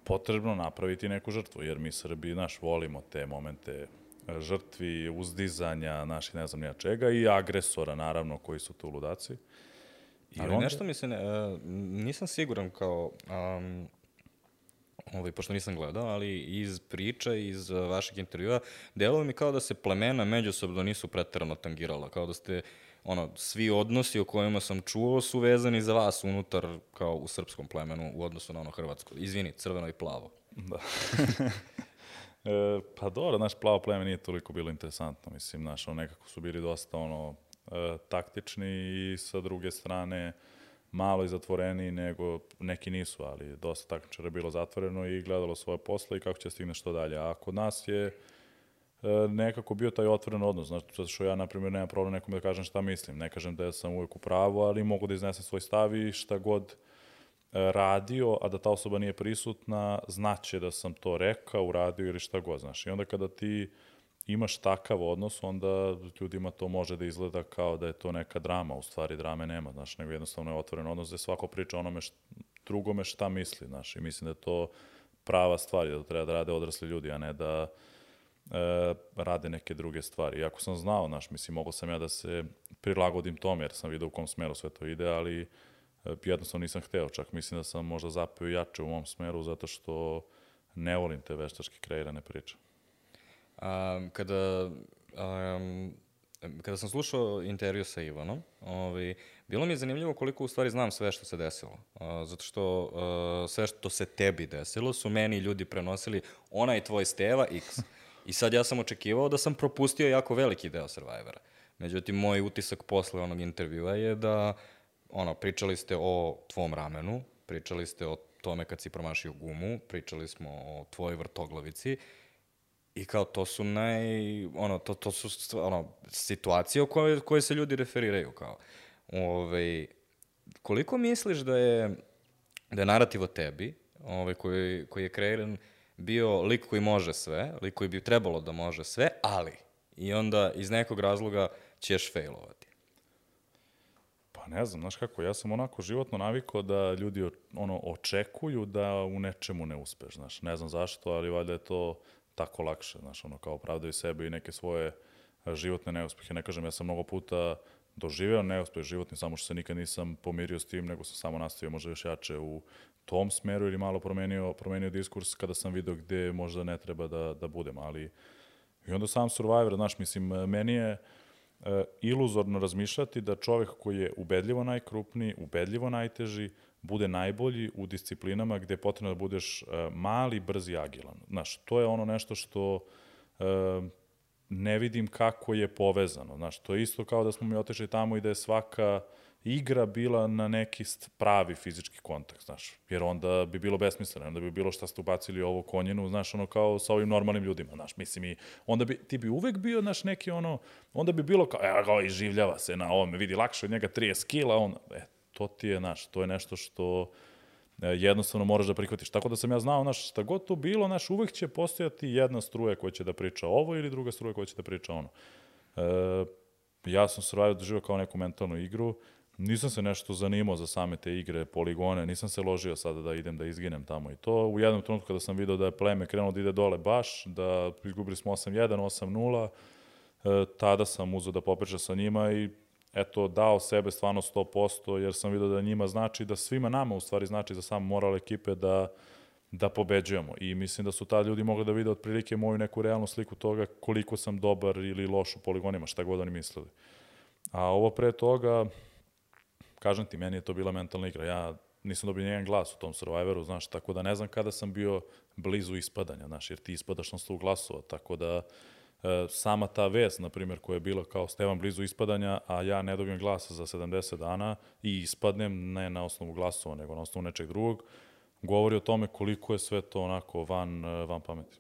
potrebno napraviti neku žrtvu, jer mi Srbi, naš, volimo te momente žrtvi, uzdizanja, naših ne znam nija čega i agresora, naravno, koji su tu ludaci. I ali onda... nešto mi se ne, uh, nisam siguran kao, um, ovaj, pošto nisam gledao, ali iz priča, iz uh, vašeg intervjua, delalo mi kao da se plemena međusobno nisu preterano tangirala, kao da ste, ono, svi odnosi o kojima sam čuo su vezani za vas unutar, kao u srpskom plemenu, u odnosu na ono hrvatsko. Izvini, crveno i plavo. Da. E, pa dobro, znaš, plavo pleme nije toliko bilo interesantno, mislim, znaš, ono, nekako su bili dosta, ono, e, taktični i sa druge strane malo i zatvoreni, nego neki nisu, ali dosta takmičara je bilo zatvoreno i gledalo svoje posle i kako će stigne što dalje. A kod nas je e, nekako bio taj otvoren odnos, znaš, zato što ja, na primjer, nemam problem nekom da kažem šta mislim, ne kažem da sam uvijek u pravu, ali mogu da iznesem svoj stav i šta god radio, a da ta osoba nije prisutna, znaće da sam to rekao, uradio ili šta god, znaš. I onda kada ti imaš takav odnos, onda ljudima to može da izgleda kao da je to neka drama, u stvari drame nema, znaš, nego jednostavno je otvoren odnos gde svako priča onome št, drugome šta misli, znaš, i mislim da je to prava stvar, da to treba da rade odrasli ljudi, a ne da e, rade neke druge stvari. Iako sam znao, znaš, mislim, mogao sam ja da se prilagodim tome, jer sam vidio u kom smeru sve to ide, ali jednostavno nisam hteo, čak mislim da sam možda zapeo jače u mom smeru zato što ne volim te veštački kreirane priče. A, kada, um, kada sam slušao intervju sa Ivanom, ovaj, bilo mi je zanimljivo koliko u stvari znam sve što se desilo. Uh, zato što uh, sve što se tebi desilo su meni ljudi prenosili onaj tvoj Steva X. I sad ja sam očekivao da sam propustio jako veliki deo Survivora. Međutim, moj utisak posle onog intervjua je da ono, pričali ste o tvom ramenu, pričali ste o tome kad si promašio gumu, pričali smo o tvojoj vrtoglavici i kao to su naj, ono, to, to su ono, situacije o koje, koje se ljudi referiraju kao. Ove, koliko misliš da je, da je narativ o tebi, ove, koji, koji je kreiran, bio lik koji može sve, lik koji bi trebalo da može sve, ali i onda iz nekog razloga ćeš failovati? Pa ne znam, znaš kako, ja sam onako životno navikao da ljudi ono, očekuju da u nečemu ne uspeš, znaš, ne znam zašto, ali valjda je to tako lakše, znaš, ono, kao pravdaju sebe i neke svoje životne neuspehe. Ne kažem, ja sam mnogo puta doživeo neuspeh životni, samo što se nikad nisam pomirio s tim, nego sam samo nastavio možda još jače u tom smeru ili malo promenio, promenio diskurs kada sam video gde možda ne treba da, da budem, ali i onda sam Survivor, znaš, mislim, meni je e, iluzorno razmišljati da čovek koji je ubedljivo najkrupniji, ubedljivo najteži, bude najbolji u disciplinama gde je potrebno da budeš e, mali, brz i agilan. Znaš, to je ono nešto što e, ne vidim kako je povezano. Znaš, to je isto kao da smo mi otišli tamo i da je svaka igra bila na neki pravi fizički kontakt, znaš, jer onda bi bilo besmisleno, onda bi bilo šta ste ubacili ovo konjenu, znaš, ono kao sa ovim normalnim ljudima, znaš, mislim i onda bi, ti bi uvek bio, znaš, neki ono, onda bi bilo kao, evo ga, iživljava se na ovome, vidi, lakše od njega trideset kila, on, e, to ti je, znaš, to je nešto što e, jednostavno moraš da prihvatiš. Tako da sam ja znao, znaš, šta god to bilo, znaš, uvek će postojati jedna struja koja će da priča ovo ili druga struja koja će da priča ono. E, ja sam Survivor doživao kao neku mentalnu igru. Nisam se nešto zanimao za same te igre, poligone, nisam se ložio sada da idem da izginem tamo i to. U jednom trenutku kada sam video da je pleme krenulo da ide dole baš, da izgubili smo osam jedan, osam nula, e, tada sam uzeo da popričam sa njima i eto, dao sebe stvarno sto posto, jer sam video da njima znači, da svima nama u stvari znači za sam moral ekipe da, da pobeđujemo. I mislim da su ta ljudi mogli da vide otprilike moju neku realnu sliku toga koliko sam dobar ili loš u poligonima, šta god oni mislili. A ovo pre toga, kažem ti, meni je to bila mentalna igra. Ja nisam dobio nijedan glas u tom Survivoru, znaš, tako da ne znam kada sam bio blizu ispadanja, znaš, jer ti ispadaš na sto glasova, tako da e, sama ta vest, na primjer, koja je bila kao Stevan blizu ispadanja, a ja ne dobijem glasa za sedamdeset dana i ispadnem ne na osnovu glasova, nego na osnovu nečeg drugog, govori o tome koliko je sve to onako van, van pameti.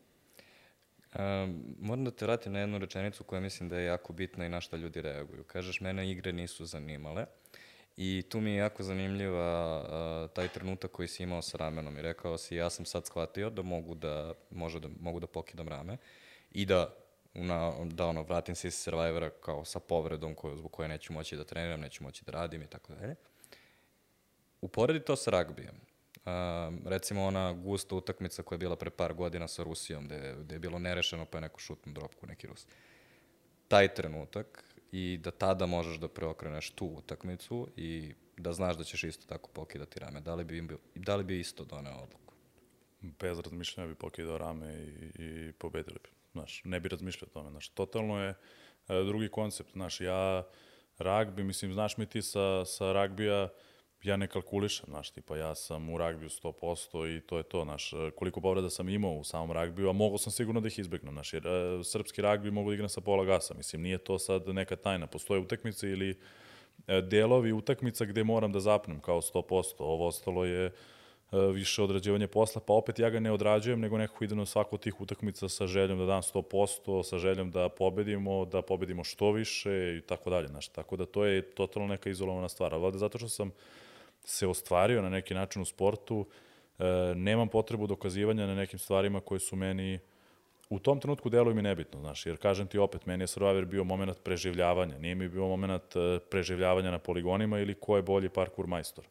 Um, moram da te vratim na jednu rečenicu koja mislim da je jako bitna i na šta ljudi reaguju. Kažeš, mene igre nisu zanimale. I tu mi je jako zanimljiva uh, taj trenutak koji si imao sa ramenom i rekao si ja sam sad shvatio da mogu da, može da, mogu da pokidam rame i da, na, da ono, vratim se iz Survivora kao sa povredom koju, zbog koje neću moći da treniram, neću moći da radim i tako dalje. Uporedi to sa ragbijem. Uh, recimo ona gusta utakmica koja je bila pre par godina sa Rusijom, gde, gde je bilo nerešeno pa je neko šutnu dropku, neki Rus. Taj trenutak i da tada možeš da preokreneš tu utakmicu i da znaš da ćeš isto tako pokidati rame. Da li bi, da li bi isto doneo odluku? Bez razmišljanja bi pokidao rame i, i pobedili bi. Znaš, ne bi razmišljao o tome. Znaš, totalno je e, drugi koncept. Znaš, ja ragbi, mislim, znaš mi ti sa, sa ragbija, ja ne kalkulišem, znaš, tipa ja sam u ragbiju sto posto i to je to, znaš, koliko povreda sam imao u samom ragbiju, a mogao sam sigurno da ih izbegnem, znaš, jer e, srpski ragbi mogu da igram sa pola gasa, mislim, nije to sad neka tajna, postoje utakmice ili e, delovi utakmica gde moram da zapnem kao sto posto, ovo ostalo je e, više odrađivanje posla, pa opet ja ga ne odrađujem, nego nekako idem na svako od tih utakmica sa željom da dam sto posto, sa željom da pobedimo, da pobedimo što više i tako dalje, znaš, tako da to je totalno neka izolovana stvar, ali valjda zato što sam se ostvario na neki način u sportu, e, nemam potrebu dokazivanja na nekim stvarima koje su meni u tom trenutku deluju mi nebitno, znaš, jer kažem ti opet, meni je Survivor bio moment preživljavanja, nije mi bio moment preživljavanja na poligonima ili ko je bolji parkour majstor,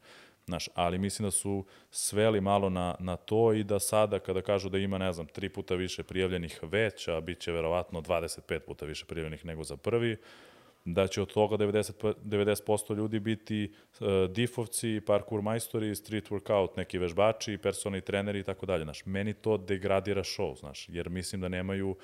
znaš, ali mislim da su sveli malo na, na to i da sada kada kažu da ima, ne znam, tri puta više prijavljenih već, a bit će verovatno dvadeset pet puta više prijavljenih nego za prvi, da će od toga devedeset posto ljudi biti uh, difovci, parkour majstori, street workout, neki vežbači, personalni treneri i tako dalje. Znaš, meni to degradira show, znaš, jer mislim da nemaju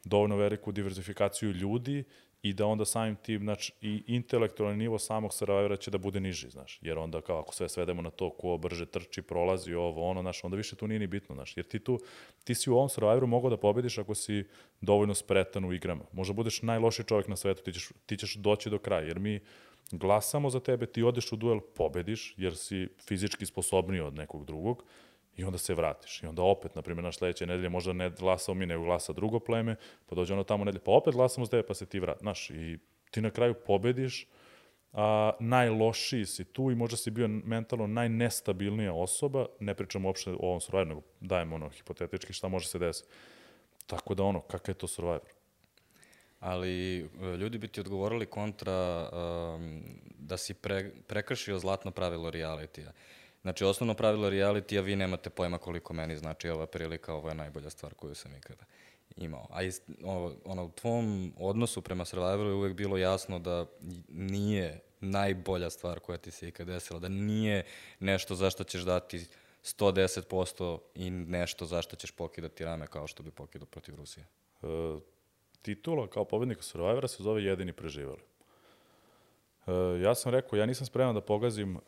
dovoljno veliku diverzifikaciju ljudi i da onda samim tim, znači, i intelektualni nivo samog Survivora će da bude niži, znaš, jer onda kao ako sve svedemo na to ko brže trči, prolazi ovo, ono, znaš, onda više tu nije ni bitno, znaš, jer ti tu, ti si u ovom Survivoru mogao da pobediš ako si dovoljno spretan u igrama. Možda budeš najlošiji čovjek na svetu, ti ćeš, ti ćeš doći do kraja, jer mi glasamo za tebe, ti odeš u duel, pobediš, jer si fizički sposobniji od nekog drugog, i onda se vratiš. I onda opet, na primjer, naš sledeće nedelje možda ne glasao mi, nego glasa drugo pleme, pa dođe ono tamo nedelje, pa opet glasamo za tebe, pa se ti vrati. Znaš, i ti na kraju pobediš, a najlošiji si tu i možda si bio mentalno najnestabilnija osoba, ne pričamo uopšte o ovom Survivoru, nego dajemo ono hipotetički šta može se desiti. Tako da ono, kakav je to Survivor? Ali ljudi bi ti odgovorili kontra um, da si pre, prekršio zlatno pravilo realitija. Znači, osnovno pravilo realitija, vi nemate pojma koliko meni znači ova prilika, ovo je najbolja stvar koju sam ikada imao. A ist, o, ono, u tvom odnosu prema Survivoru je uvek bilo jasno da nije najbolja stvar koja ti se ikada desila, da nije nešto za što ćeš dati sto deset posto i nešto za što ćeš pokidati rame kao što bi pokidao protiv Rusije. E, titula kao pobednika Survivora se zove Jedini preživali. E, ja sam rekao, ja nisam spreman da pogazim e,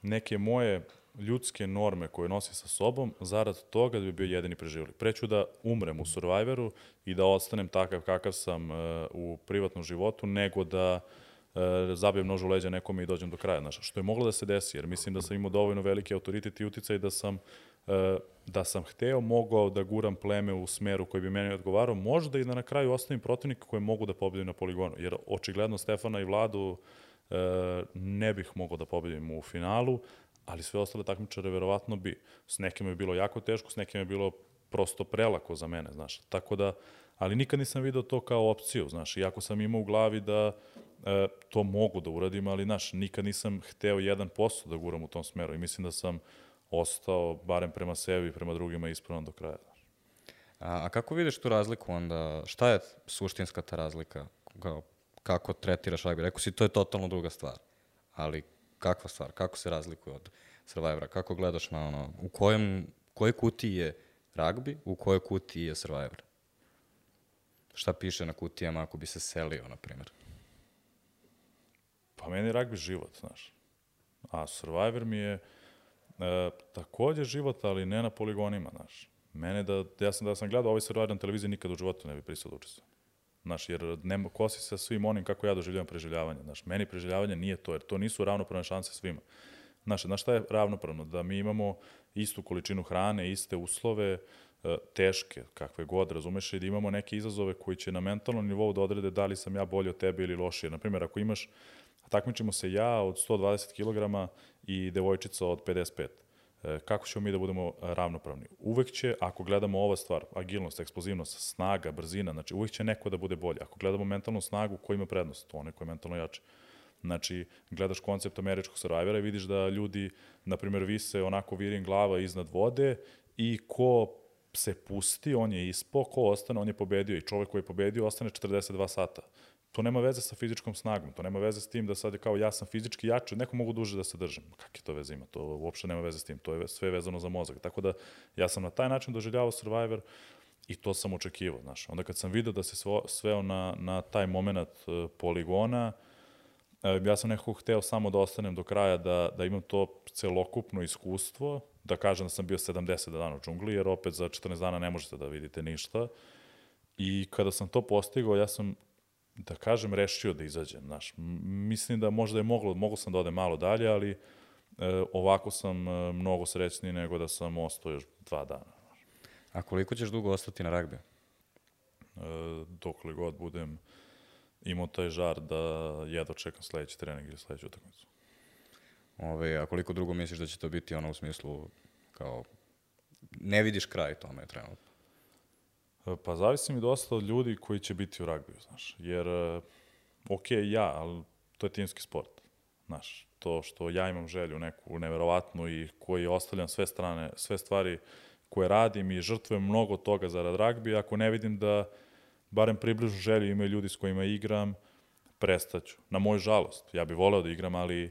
neke moje ljudske norme koje nosi sa sobom zarad toga da bi bio jedini preživjeli. Preću da umrem u Survivoru i da ostanem takav kakav sam uh, u privatnom životu, nego da uh, zabijem nož u leđa nekome i dođem do kraja. Znaš, što je moglo da se desi, jer mislim da sam imao dovoljno veliki autoritet i uticaj da sam, uh, da sam hteo, mogao da guram pleme u smeru koji bi meni odgovarao, možda i da na kraju ostavim protivnika koje mogu da pobedim na poligonu. Jer očigledno Stefana i Vladu uh, ne bih mogao da pobedim u finalu, ali sve ostale takmičare verovatno bi. S nekim je bilo jako teško, s nekim je bilo prosto prelako za mene, znaš. Tako da, ali nikad nisam video to kao opciju, znaš. Iako sam imao u glavi da e, to mogu da uradim, ali, znaš, nikad nisam hteo jedan posto da guram u tom smeru i mislim da sam ostao, barem prema sebi i prema drugima, ispravan do kraja, znaš. A, a kako vidiš tu razliku onda? Šta je suštinska ta razlika? Kao, kako tretiraš ragbi? Rekao si, to je totalno druga stvar, ali kakva stvar? Kako se razlikuje od Survivora? Kako gledaš na ono, u kojem, kojoj kutiji je ragbi, u kojoj kutiji je Survivor? Šta piše na kutijama ako bi se selio, na primjer? Pa meni je ragbi život, znaš. A Survivor mi je e, takođe život, ali ne na poligonima, znaš. Mene da, ja sam da sam gledao ovaj Survivor na televiziji, nikad u životu ne bi pristao da učestvujem. Znaš, jer nema, kosi se sa svim onim kako ja doživljavam preživljavanje. Znaš, meni preživljavanje nije to, jer to nisu ravnopravne šanse svima. Znaš, znaš šta je ravnopravno? Da mi imamo istu količinu hrane, iste uslove, teške, kakve god, razumeš, i da imamo neke izazove koji će na mentalnom nivou da odrede da li sam ja bolji od tebe ili lošije. Naprimjer, ako imaš, takmičimo se ja od sto dvadeset kilograma i devojčica od pedeset pet. Kako ćemo mi da budemo ravnopravni? Uvek će, ako gledamo ova stvar, agilnost, eksplozivnost, snaga, brzina, znači uvek će neko da bude bolji. Ako gledamo mentalnu snagu, ko ima prednost? To onaj ko je mentalno jači. Znači, gledaš koncept američkog Survivora i vidiš da ljudi, na primjer, vise onako virin glava iznad vode i ko se pusti, on je ispo, ko ostane, on je pobedio i čovek koji je pobedio ostane četrdeset dva sata. To nema veze sa fizičkom snagom, to nema veze s tim da sad je kao ja sam fizički jači, neko mogu duže da se držim. Kakve to veze ima? To uopšte nema veze s tim, to je sve vezano za mozak. Tako da ja sam na taj način doživljavao Survivor i to sam očekivao, znaš. Onda kad sam vidio da se svo, sveo na, na taj moment uh, poligona, uh, ja sam nekako hteo samo da ostanem do kraja, da, da imam to celokupno iskustvo, da kažem da sam bio sedamdeset dana u džungli, jer opet za četrnaest dana ne možete da vidite ništa. I kada sam to postigao, ja sam, da kažem, rešio da izađem, znaš. Mislim da možda je moglo, moglo sam da odem malo dalje, ali e, ovako sam e, mnogo srećniji nego da sam ostao još dva dana. A koliko ćeš dugo ostati na ragbi? E, dokle god budem imao taj žar da jedva čekam sledeći trening ili sledeću utakmicu. Ove, a koliko dugo misliš da će to biti ono u smislu kao ne vidiš kraj tome trenutno? Pa zavisi mi dosta od ljudi koji će biti u ragbiju, znaš. Jer, ok, ja, ali to je timski sport. Znaš, to što ja imam želju neku neverovatnu i koji ostavljam sve strane, sve stvari koje radim i žrtvujem mnogo toga zarad ragbija, ako ne vidim da barem približu želju imaju ljudi s kojima igram, prestaću. Na moju žalost, ja bih voleo da igram, ali e,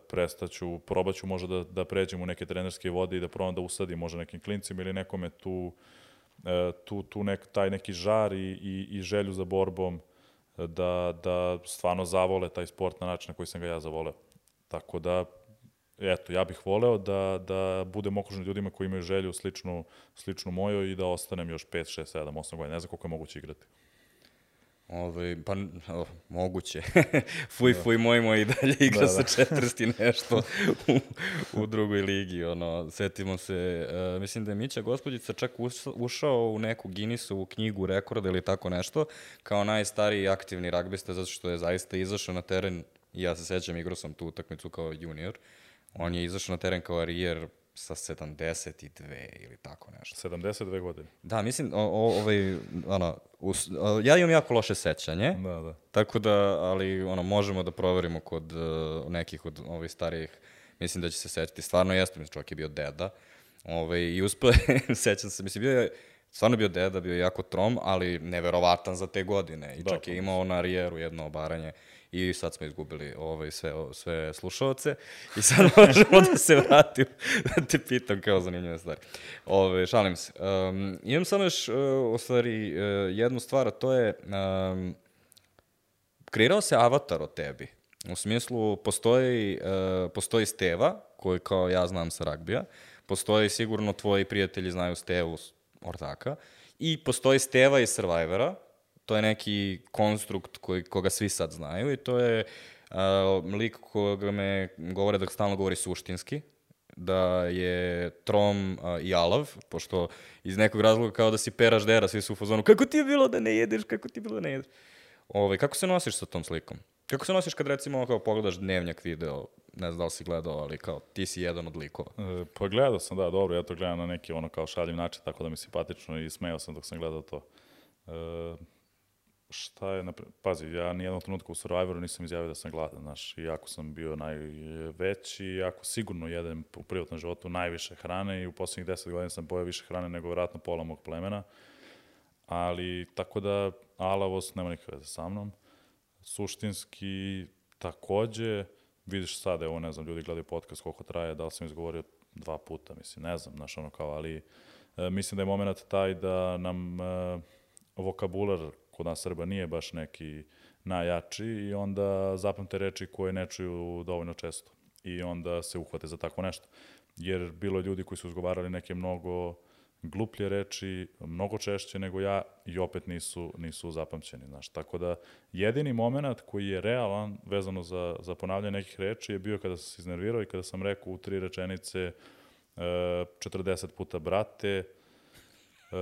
prestaću, probaću možda da, da pređem u neke trenerske vode i da probam da usadim možda nekim klincima ili nekome tu, e, tu, tu nek, taj neki žar i, i, i želju za borbom da, da stvarno zavole taj sport na način na koji sam ga ja zavoleo. Tako da, eto, ja bih voleo da, da budem okružen ljudima koji imaju želju sličnu, sličnu mojoj i da ostanem još pet, šest, sedam, osam godina. Ne znam koliko je moguće igrati. Ove, pa, o, moguće. fuj, fuj, moj moj i dalje igra da, sa četrdeset i nešto u, u drugoj ligi. Ono, setimo se, uh, mislim da je Mića Gospodjica čak ušao u neku Guinnessovu knjigu rekorda ili tako nešto, kao najstariji aktivni ragbista, zato što je zaista izašao na teren, i ja se sećam, igrao sam tu utakmicu kao junior, on je izašao na teren kao arijer sa sedamdeset dve ili tako nešto. sedamdeset dve godine. Da, mislim, o, o, ovaj, ono, us, o, ja imam jako loše sećanje, da, da. Tako da, ali ono, možemo da proverimo kod uh, nekih od ovih starijih, mislim da će se sećati, stvarno jeste, mislim, čovjek je bio deda, ovaj, i uspeo, sećam se, mislim, bio je, stvarno bio deda, bio je jako trom, ali neverovatan za te godine, i da, čak je imao na arijeru jedno obaranje, i sad smo izgubili ovaj, sve, sve slušalce i sad možemo da se vratim da te pitam kao zanimljive stvari. Ove, šalim se. Um, imam samo još uh, u stvari uh, jednu stvar, a to je um, kreirao se avatar o tebi. U smislu, postoji, uh, postoji Steva, koji kao ja znam sa ragbija, postoji sigurno tvoji prijatelji znaju Stevu Ortaka, i postoji Steva iz Survivora. To je neki konstrukt koji, koga svi sad znaju, i to je uh, lik koga me govore da stalno govori suštinski, da je trom uh, i alav, pošto iz nekog razloga kao da si peraš dera, svi su u fazonu, kako ti je bilo da ne jedeš, kako ti je bilo da ne jedeš. Ove, kako se nosiš sa tom slikom? Kako se nosiš kad recimo kao pogledaš dnevnjak video, ne znam da li si gledao, ali kao ti si jedan od likova? E, pa gledao sam, da, dobro, ja to gledam na neki ono kao šaljiv način, tako da mi je simpatično i smejao sam dok sam gledao to. E, Šta je, napre... pazi, ja nijednog trenutka u Survivoru nisam izjavio da sam gladan, znaš, iako sam bio najveći, iako sigurno jedem u privatnom životu najviše hrane i u poslednjih deset godina sam pojeo više hrane nego vjerojatno pola mog plemena, ali tako da alavost nema nikakve veze sa mnom. Suštinski, takođe, vidiš sad, evo, ne znam, ljudi gledaju podcast koliko traje, da li sam izgovorio dva puta, mislim, ne znam, znaš, ono kao, ali e, mislim da je moment taj da nam e, vokabular kod nas Srba nije baš neki najjači i onda zapamte reči koje ne čuju dovoljno često i onda se uhvate za tako nešto. Jer bilo je ljudi koji su izgovarali neke mnogo gluplje reči, mnogo češće nego ja i opet nisu, nisu zapamćeni. Znaš. Tako da jedini moment koji je realan vezano za, za ponavljanje nekih reči je bio kada sam se iznervirao i kada sam rekao u tri rečenice četrdeset puta brate, Uh,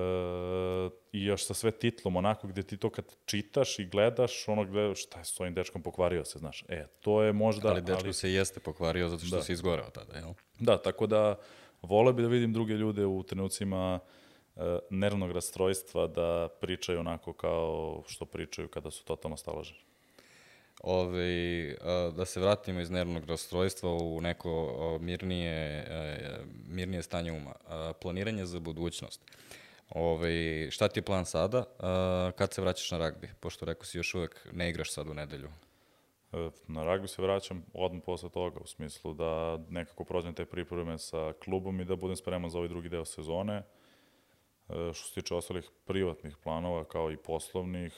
i još sa sve titlom, onako gde ti to kad čitaš i gledaš, ono gledaš, šta je s ovim dečkom, pokvario se, znaš. E, to je možda... Ali dečko ali... se jeste pokvario zato što da. se izgoreo tada, jel? Da, tako da voleo bi da vidim druge ljude u trenucima uh, nervnog rastrojstva da pričaju onako kao što pričaju kada su totalno staloženi. Ove, uh, da se vratimo iz nervnog rastrojstva u neko uh, mirnije, uh, mirnije stanje uma. Uh, planiranje za budućnost. Ove, šta ti je plan sada? Uh, kad se vraćaš na ragbi? Pošto rekao si još uvek ne igraš sad u nedelju. Na ragbi se vraćam odmah posle toga, u smislu da nekako prođem te pripreme sa klubom i da budem spreman za ovaj drugi deo sezone. Što se tiče ostalih privatnih planova, kao i poslovnih,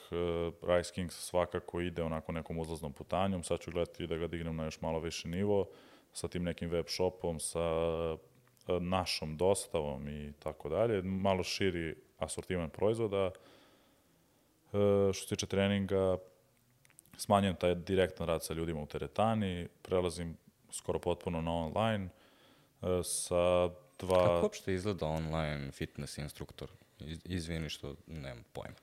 Rice Kings svakako ide onako nekom uzlaznom putanjom. Sad ću gledati da ga dignem na još malo više nivo, sa tim nekim web shopom, sa našom dostavom i tako dalje. Malo širi asortiman proizvoda. Što se tiče treninga, smanjujem taj direktan rad sa ljudima u teretani, prelazim skoro potpuno na online, sa dva... Kako uopšte izgleda online fitness instruktor? Izvini što nemam pojma.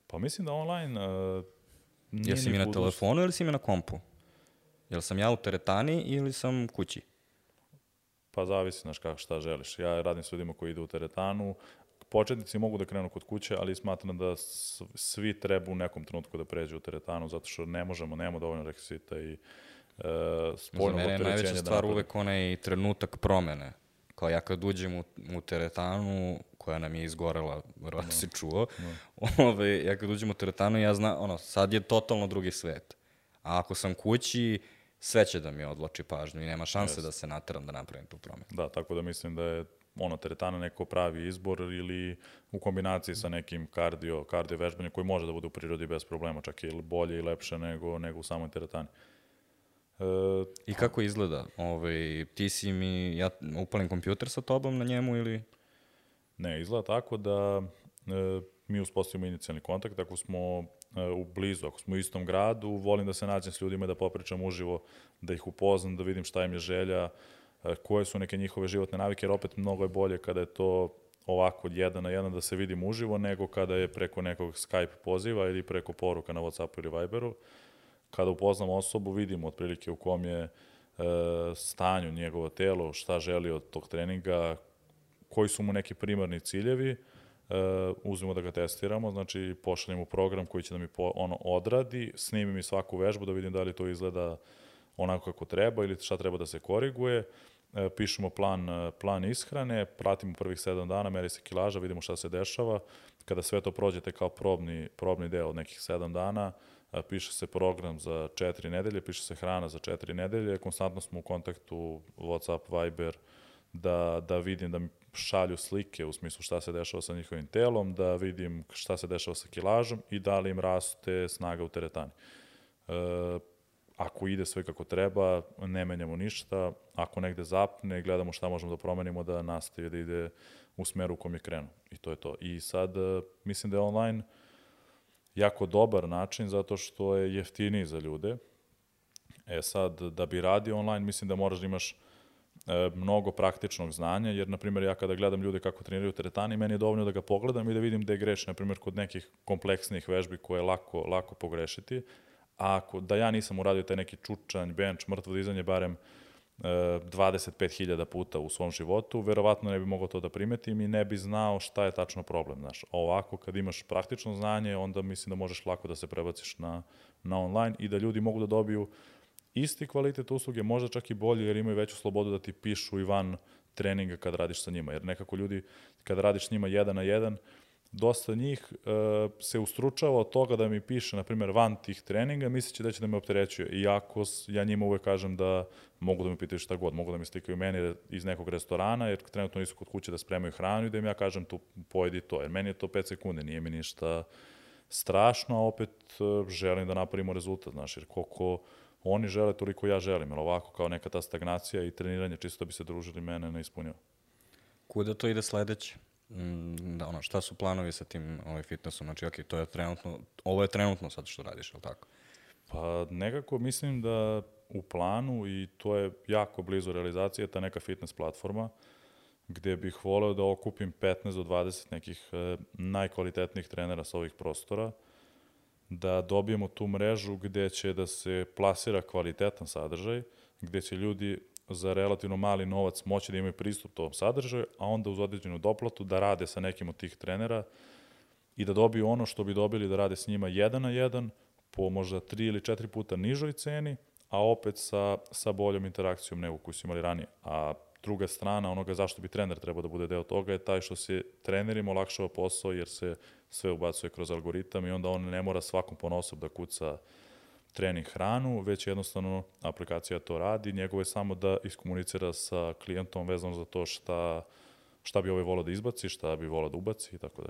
Pa mislim da online uh, nije... Jel si mi na telefonu ili si mi na kompu? Jel sam ja u teretani ili sam kući? Pa zavisi, znaš kako šta želiš. Ja radim s ljudima koji idu u teretanu. Početnici mogu da krenu kod kuće, ali smatram da svi treba u nekom trenutku da pređu u teretanu, zato što ne možemo, nemamo dovoljno rekvizita i uh, spoljnog opterećenja. Za mene je najveća stvar da uvek onaj trenutak promene. Kao ja kad uđem u, u teretanu, koja nam je izgorela, vjerojatno no. si čuo, no. Ove, ja kad uđem u teretanu, ja znam, ono, sad je totalno drugi svet. A ako sam kući, sve će da mi odloči pažnju i nema šanse yes. da se nateram da napravim tu promenu. Da, tako da mislim da je ono, teretana neko pravi izbor ili u kombinaciji sa nekim kardio, kardio vežbanjem koji može da bude u prirodi bez problema, čak i bolje i lepše nego, nego u samoj teretani. E, I kako izgleda? Ovaj, ti si mi, ja upalim kompjuter sa tobom na njemu ili... Ne, izgleda tako da e, mi uspostavimo inicijalni kontakt, ako smo e, u blizu, ako smo u istom gradu, volim da se nađem s ljudima i da popričam uživo, da ih upoznam, da vidim šta im je želja, e, koje su neke njihove životne navike, jer opet mnogo je bolje kada je to ovako jedan na jedan da se vidim uživo, nego kada je preko nekog Skype poziva ili preko poruka na WhatsAppu ili Viberu. Kada upoznam osobu, vidimo otprilike u kom je e, stanju njegovo telo, šta želi od tog treninga, koji su mu neki primarni ciljevi, uh, uzmemo da ga testiramo, znači pošaljemo program koji će da mi po, ono odradi, snimi mi svaku vežbu da vidim da li to izgleda onako kako treba ili šta treba da se koriguje, uh, pišemo plan, uh, plan ishrane, pratimo prvih sedam dana, meri se kilaža, vidimo šta se dešava, kada sve to prođete kao probni, probni deo od nekih sedam dana, uh, piše se program za četiri nedelje, piše se hrana za četiri nedelje, konstantno smo u kontaktu, WhatsApp, Viber, da, da vidim da mi šalju slike u smislu šta se dešava sa njihovim telom, da vidim šta se dešava sa kilažom i da li im raste snaga u teretani. E, ako ide sve kako treba, ne menjamo ništa. Ako negde zapne, gledamo šta možemo da promenimo da nastavi da ide u smeru u kom je krenuo. I to je to. I sad mislim da je online jako dobar način zato što je jeftiniji za ljude. E sad, da bi radio online, mislim da moraš da imaš mnogo praktičnog znanja, jer, na primjer, ja kada gledam ljude kako treniraju teretani, meni je dovoljno da ga pogledam i da vidim da je greš, na primjer, kod nekih kompleksnih vežbi koje je lako, lako pogrešiti, a ako, da ja nisam uradio taj neki čučanj, bench, mrtvo dizanje barem e, dvadeset pet hiljada puta u svom životu, verovatno ne bi mogao to da primetim i ne bi znao šta je tačno problem, znaš. Ovako, kad imaš praktično znanje, onda mislim da možeš lako da se prebaciš na, na online i da ljudi mogu da dobiju isti kvalitet usluge, možda čak i bolji, jer imaju veću slobodu da ti pišu i van treninga kad radiš sa njima. Jer nekako ljudi, kad radiš s njima jedan na jedan, dosta njih e, se ustručava od toga da mi piše, na primjer, van tih treninga, misleći da će da me opterećuje. Iako ja njima uvek kažem da mogu da mi pitaju šta god, mogu da mi slikaju meni iz nekog restorana, jer trenutno nisu kod kuće da spremaju hranu i da im ja kažem tu pojedi to. Jer meni je to pet sekunde, nije mi ništa strašno, a opet e, želim da napravimo rezultat, znaš, jer koliko oni žele, toliko ja želim, jer ovako kao neka ta stagnacija i treniranje, čisto bi se družili, mene ne ispunjava. Kuda to ide sledeće? Mm, da, ono, šta su planovi sa tim ovaj, fitnessom? Znači, ok, to je trenutno, ovo je trenutno sad što radiš, je li tako? Pa nekako mislim da u planu, i to je jako blizu realizacije, ta neka fitness platforma, gde bih voleo da okupim petnaest do dvadeset nekih eh, najkvalitetnijih trenera sa ovih prostora, da dobijemo tu mrežu gde će da se plasira kvalitetan sadržaj, gde će ljudi za relativno mali novac moći da imaju pristup tom sadržaju, a onda uz određenu doplatu da rade sa nekim od tih trenera i da dobiju ono što bi dobili da rade s njima jedan na jedan, po možda tri ili četiri puta nižoj ceni, a opet sa, sa boljom interakcijom nego koju su imali ranije. A druga strana onoga zašto bi trener trebao da bude deo toga je taj što se trenerima olakšava posao jer se sve ubacuje kroz algoritam i onda on ne mora svakom ponosob da kuca trening hranu, već jednostavno aplikacija to radi. Njegovo je samo da iskomunicira sa klijentom vezano za to šta, šta bi ovaj volao da izbaci, šta bi volao da ubaci i tako da.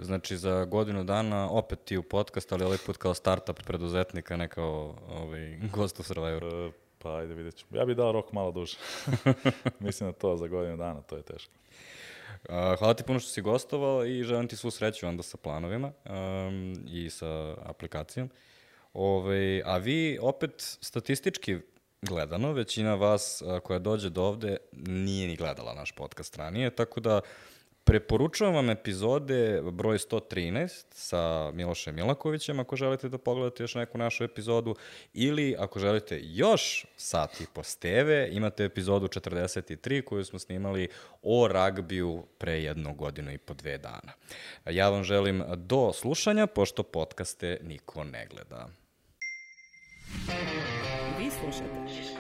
Znači, za godinu dana opet ti u podcast, ali ovaj put kao startup preduzetnika, ne kao ovaj, gost u Survivoru. E, pa ajde vidjet ćemo. Ja bih dao rok malo duže. Mislim da to za godinu dana, to je teško. Hvala ti puno što si gostovao i želim ti svu sreću onda sa planovima um, i sa aplikacijom. Ove, a vi opet statistički gledano, većina vas a, koja dođe do ovde nije ni gledala naš podcast ranije, tako da preporučujem vam epizode broj sto trinaest sa Milošem Milakovićem ako želite da pogledate još neku našu epizodu ili ako želite još sat i po steve, imate epizodu četrdeset tri koju smo snimali o ragbiju pre jednu godinu i po dve dana. Ja vam želim do slušanja, pošto podcaste niko ne gleda. Vi slušate